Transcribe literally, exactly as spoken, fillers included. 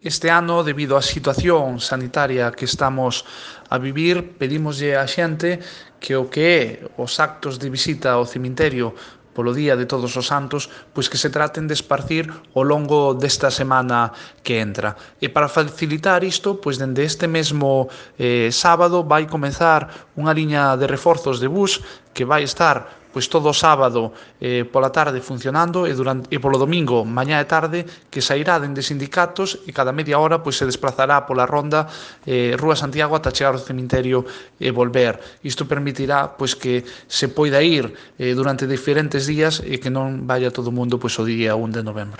Este ano, debido á situación sanitaria que estamos a vivir, pedímoslle á xente que o que é os actos de visita ao cemiterio polo Día de Todos os Santos, pois que se traten de esparcir ao longo desta semana que entra. E para facilitar isto, pois dende este mesmo eh, sábado vai comezar unha liña de reforzos de bus que vai estar pois todo o sábado eh, pola tarde funcionando e, durante, e polo domingo, mañá e tarde, que sairá dende sindicatos e cada media hora pois se desplazará pola ronda eh, Rúa Santiago ata chegar ao cemiterio e volver. Isto permitirá pois que se poida ir eh, durante diferentes días e que non vaya todo o mundo pois o día un de novembro.